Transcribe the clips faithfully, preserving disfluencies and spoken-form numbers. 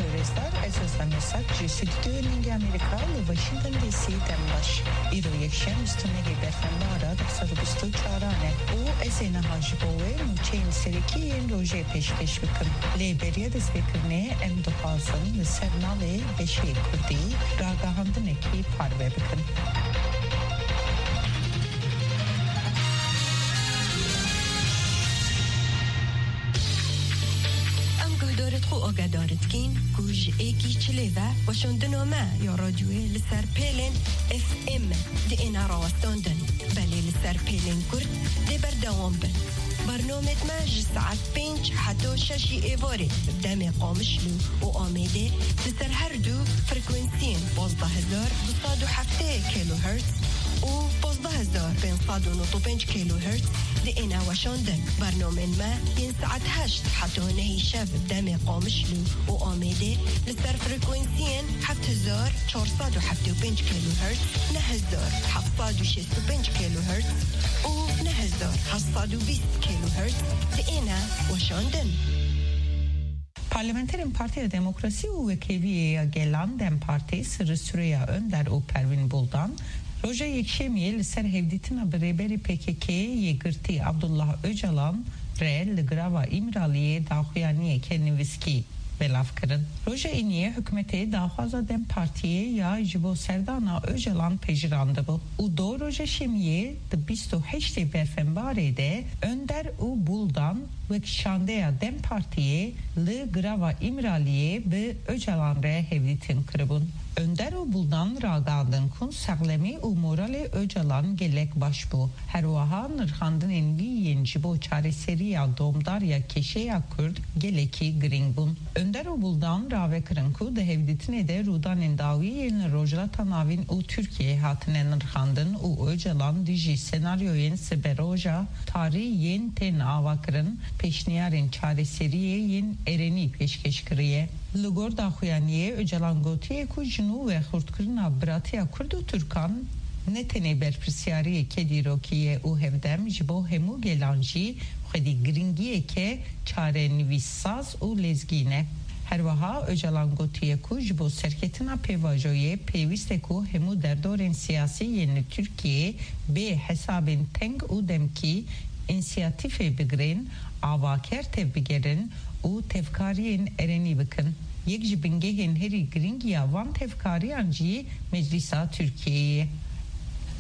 Rêzdar, ez Ozan Yasak ji Stûdyoyê Ningê Amerîka li Washington D C dem baş. Îro yekşem, bîst û nehê berfenbara du hazar û bîst û çaran e û ez ê niha ji bo we nûçeyên serekî yên rojê pêşkêş bikim. Lê beriya destpêkirinê em dixwazin li ser navê beşê kurdî ragihandinekî parve bikin. Em guhdarêt xwe agedarê dikîn ku ji êkî çilê ve weşandina me ya radyoyê li ser pêlên F M diêne rawestandin, belê li ser pêlên kurt dê berdewam bin. Bernamêt me ji saet pênc heta şeşî êvarê bi demê Qamişlo û Amêdê li ser her du frekwensiyên pazdeh hezar du sed û heftê kilohertz û pazdeh hezar pênc sed û nod û pênc kilohertz diêne weşandin. Bernamên me yên saet heşt heta nehê şev demê Qamişlo û Amêdê li ser frekwensiyên heft hezar çar sed û heft û pênc kilohertz, neh hezar heft sed û şêst û pênc kilohertz û neh hezar heft sed û bîst kilohertz diêne weşandin. Parlamenterên Partiya Demokrasî û Wekheviyê ya Gelan, dem Partî, sirri süreya Önder û Pervîn Buldan, roja Yekşemiyê li ser hevdîtina bi rêberê P K K yê girtî Abdullah Ocalan re li girava Îmraliyê daxuyaniyeke nivîskî belav kirin. Roja Îniyê hikûmetê daxwaza dem Partiyê ya ji bo serdana Ocalan pejirandibû û do roja Şemiyê di bîst û heştê berfenbarê de Önder û Buldan wek şandeya dem Partiyê li girava Îmraliyê bi Ocalan re hevdîtin kiribûn. Önder û Buldan ragandin ku sexlemî û moralê Ocalan gelek baş bû. Her wiha nirxandinên wî yên ji bo çareseriya domdar ya kêşeya Kurd gelekî girîng bûn. Önder û Buldan ravekirin ku di hevdîtinê de rûdanên dawî yên li Rojhilata Navîn û Tirkiyeyê hatine nirxandin û Ocalan dijî senaryoyên siberoja tarî yên tên avakirin, pêşniyarên çareseriyê yên erenî pêşkêş kiriye. Li gor daxuyaniyê, Ocalan gotiye ku ji nû ve xurtkirina biratiya Kurd û Tirkan ne tenê berpirsyariyeke dîrokî ye û hevdem ji bo hemû gelan jî xwedî girîngiyeke çarenivîssaz û lezgî ne. Her wiha Ocalan gotiye ku ji bo serketina pêvajoyê pêwîst e ku hemû derdorên siyasî yên li Tirkiyeyê bê hesabên teng û demkî însiyatîfê bigirin, avaker tevbigerin û tevkariyên erenî bikin. Yek ji bingehên herî girîng ya van tevkariyan jî Meclîsa Tirkiyeyê ye.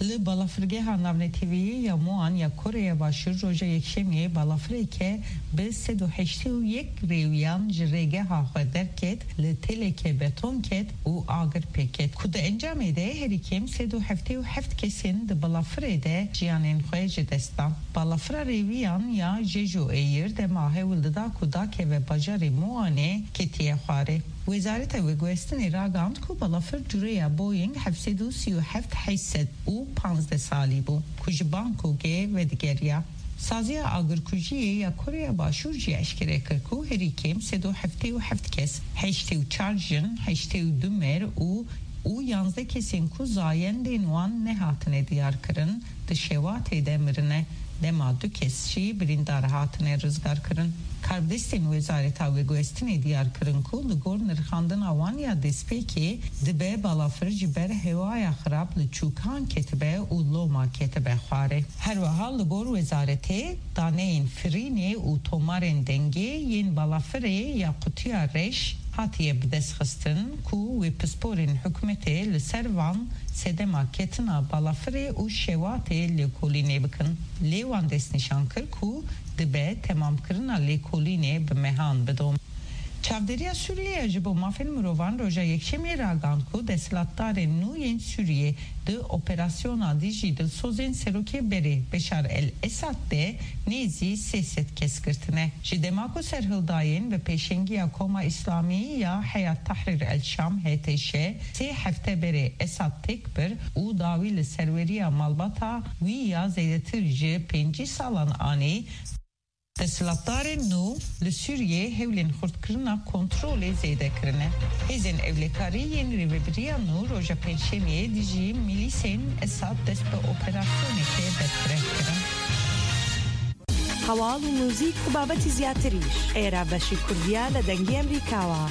Li balafirgeha navneteweyî ya Muan ya Koreya Başûr roja Yekşemiyê balafireke bi sed û heştê û yek rêwiyan ji rêgeha xwe derket, li teleke beton ket û agir pê ket, ku di encamê de herî kêm sed û heftê û heft kesên di balafirê de jiyanên xwe ji dest dan. Balafira rêwiyan ya Jeju Air dema hewl dida ku dakeve bajarê Muanê ketiye xwarê. Wezareta Veguhestinê ragihand ku balafir cureya Boeing heft sed û sî û heft heşt sed û panzdeh salî bû ku ji Bangkokê vedigeriya. Saziya Agirkujiyê ya Koreya Başûr jî eşkere kir ku herî kêm sed û heftê û heft kes, heştê û çar jin, heştê û du mêr û û yanzdeh kesên ku zayendên wan nehatine diyarkirin, di şewatê de mirine. Dema du kes jî birîndar hatine rizgarkirin. Karbidestên Wezareta Veguhestinê diyar kirin ku li gor nirxandina wan ya destpêkê dibe balafir ji ber hewaya xirab li çûkan ketibe û loma ketibe xwarê. Her wiha li gor wezaretê, daneyên firînê û tomarên dengê yên balafirê ya qutiya reş hatiye bidestxistin ku wê pisporên hikûmetê li ser van sedema ketina balafirê û şewatê lêkolînê bikin. Lê wan destnîşan kir ku dibe temamkirina lêkolînê bi mehan bidom. Çavdêriya Sûriyê ya ji bo mafên mirovan roja Yekşemiyê ragihand ku desthilatdarên nû yên Sûriyê di operasyona dijî dilsozên serokê berê Beşar el-Esad de nêzî sê sed kes girtine. Ji dema ku serhildayên bi pêşengiya Koma Îslamî ya Heyat Tahrir el-Şam, H T Ş, sê hefte berê Esad têk bir û dawî li serweriya malbata wî ya zêdetir ji pêncî salan anî, desthilatdarên nû li Sûriyê hewlên xurtkirina kontrolê zêde kirine. Hêzên ewlekarî yên rêvebiriya nû roja Pêncşemiyê dijî milîsên Esad dest bi operasyonekê berfireh kirin. Hewal û muzîk û babetî ziyatiriş. Êra beşî Kurdiya li Dengê Emerîka wa.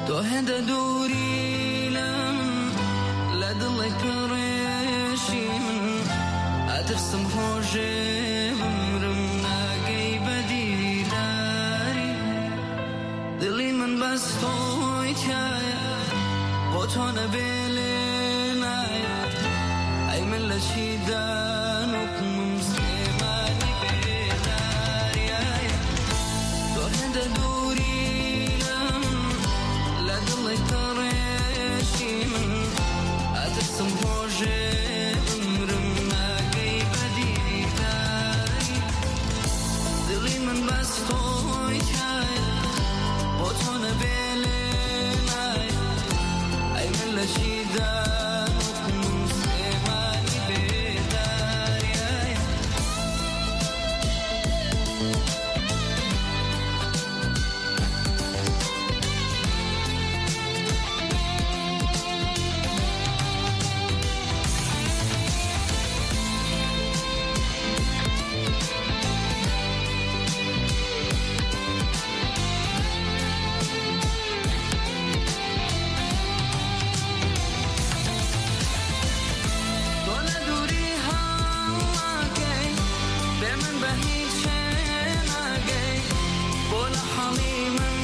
Tu hinde dûrî li min, li dilê pirêşî min. Etirsim rojê bimrim, nagey bedîdarî. Dilî min bes toy tiyaye, bo to nebêlê naye. Ey min le çî danûk min Silêmanî bêdarî ye. Tu hinde dûrî li min, li dilê pirêşî min. Etirsim rojê bimrim, nagey bedîdarî. Dilî min bes toy tiyaye, bo to nebêlê naye. Ey min le çî danûk min Silêmanî bêdarî ye. Tu ne dûrî hal nagey, bê min be hîç çê nagey. Bo li halî min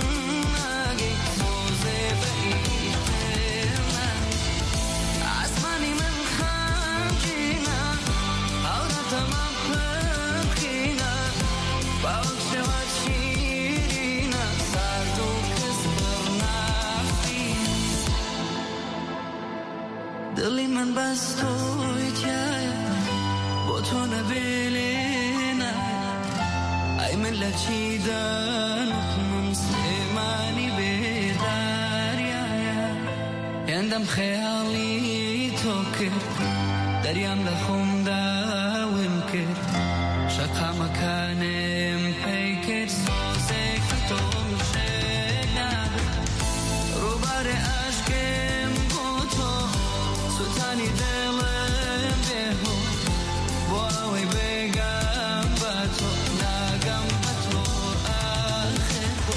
nagey, sozê be hîç tê nagey. Esmanî min xemgîn e, hewra te me pir xîn e. Bawek şewa şîrîn e, sard û kis pir nafîn. Dilî min bes toy tiyaye, bo to nebêlê naye. Ey min le çî danûk min Silêmanî bêdarî ye. Hindem xeyalî to kir, deryam le xwim dawim kir. Şeqa mekanê min pey kir, sozê kir to min jê nabe. Rûbarê eşkê min bo to, Sultanî dilê bêho. Bo ew ê bêgem be to, nagem be to, axir bo.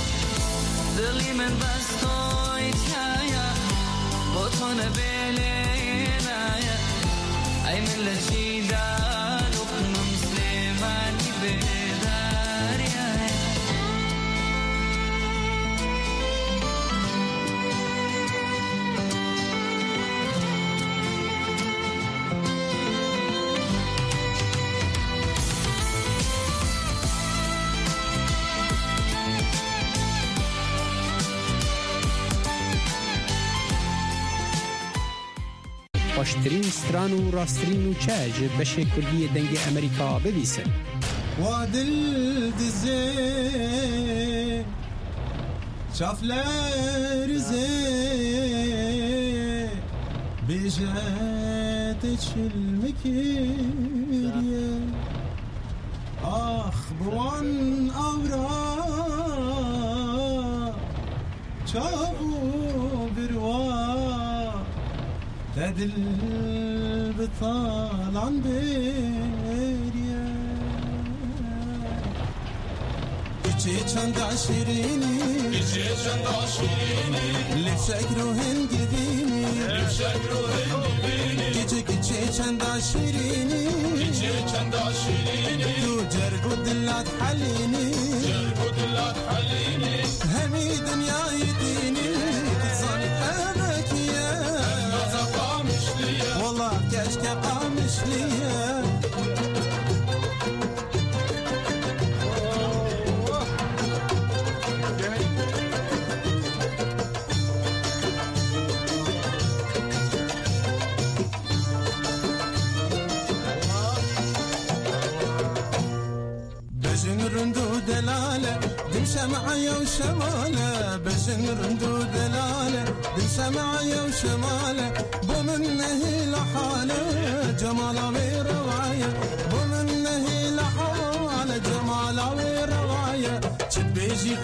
Dilî min bes toy tiyaye, bo to nebêlê naye. Ey min le çî danûk min Silêmanî bêdarî ye. Xweştirîn stran û rasttirî nûçe ji beşê kurdî yê Dengê Amerîka bibîsin. Wa dil dizê, çav lerizê, bêje te çil min kiriye. Ax bi wan awra, çav û birwa, te dil bi talan bêriye. Kiçê çanda şirînî, kiçê çanda şirînî, li şekr û hingivînî, li şekr û hingivînî. Kiçê, kiçê çanda şirînî, kiçê çanda şirînî, tu cerg û dilat helînî, cerg û dilat helînî. Hemî dinyayê dînî, dizan hevekî ye. Naza Qamişlî ye. Wela keşke Qamişlî ye. Bejin rind û delale, dim şem'e yew şemale. Bejin rind û delale, dim şem'e yew şemale. Bo min nehîle hale, cemala wê rewaye. Bo min nehîle hale, cemala wê rewaye. Çi dibêjî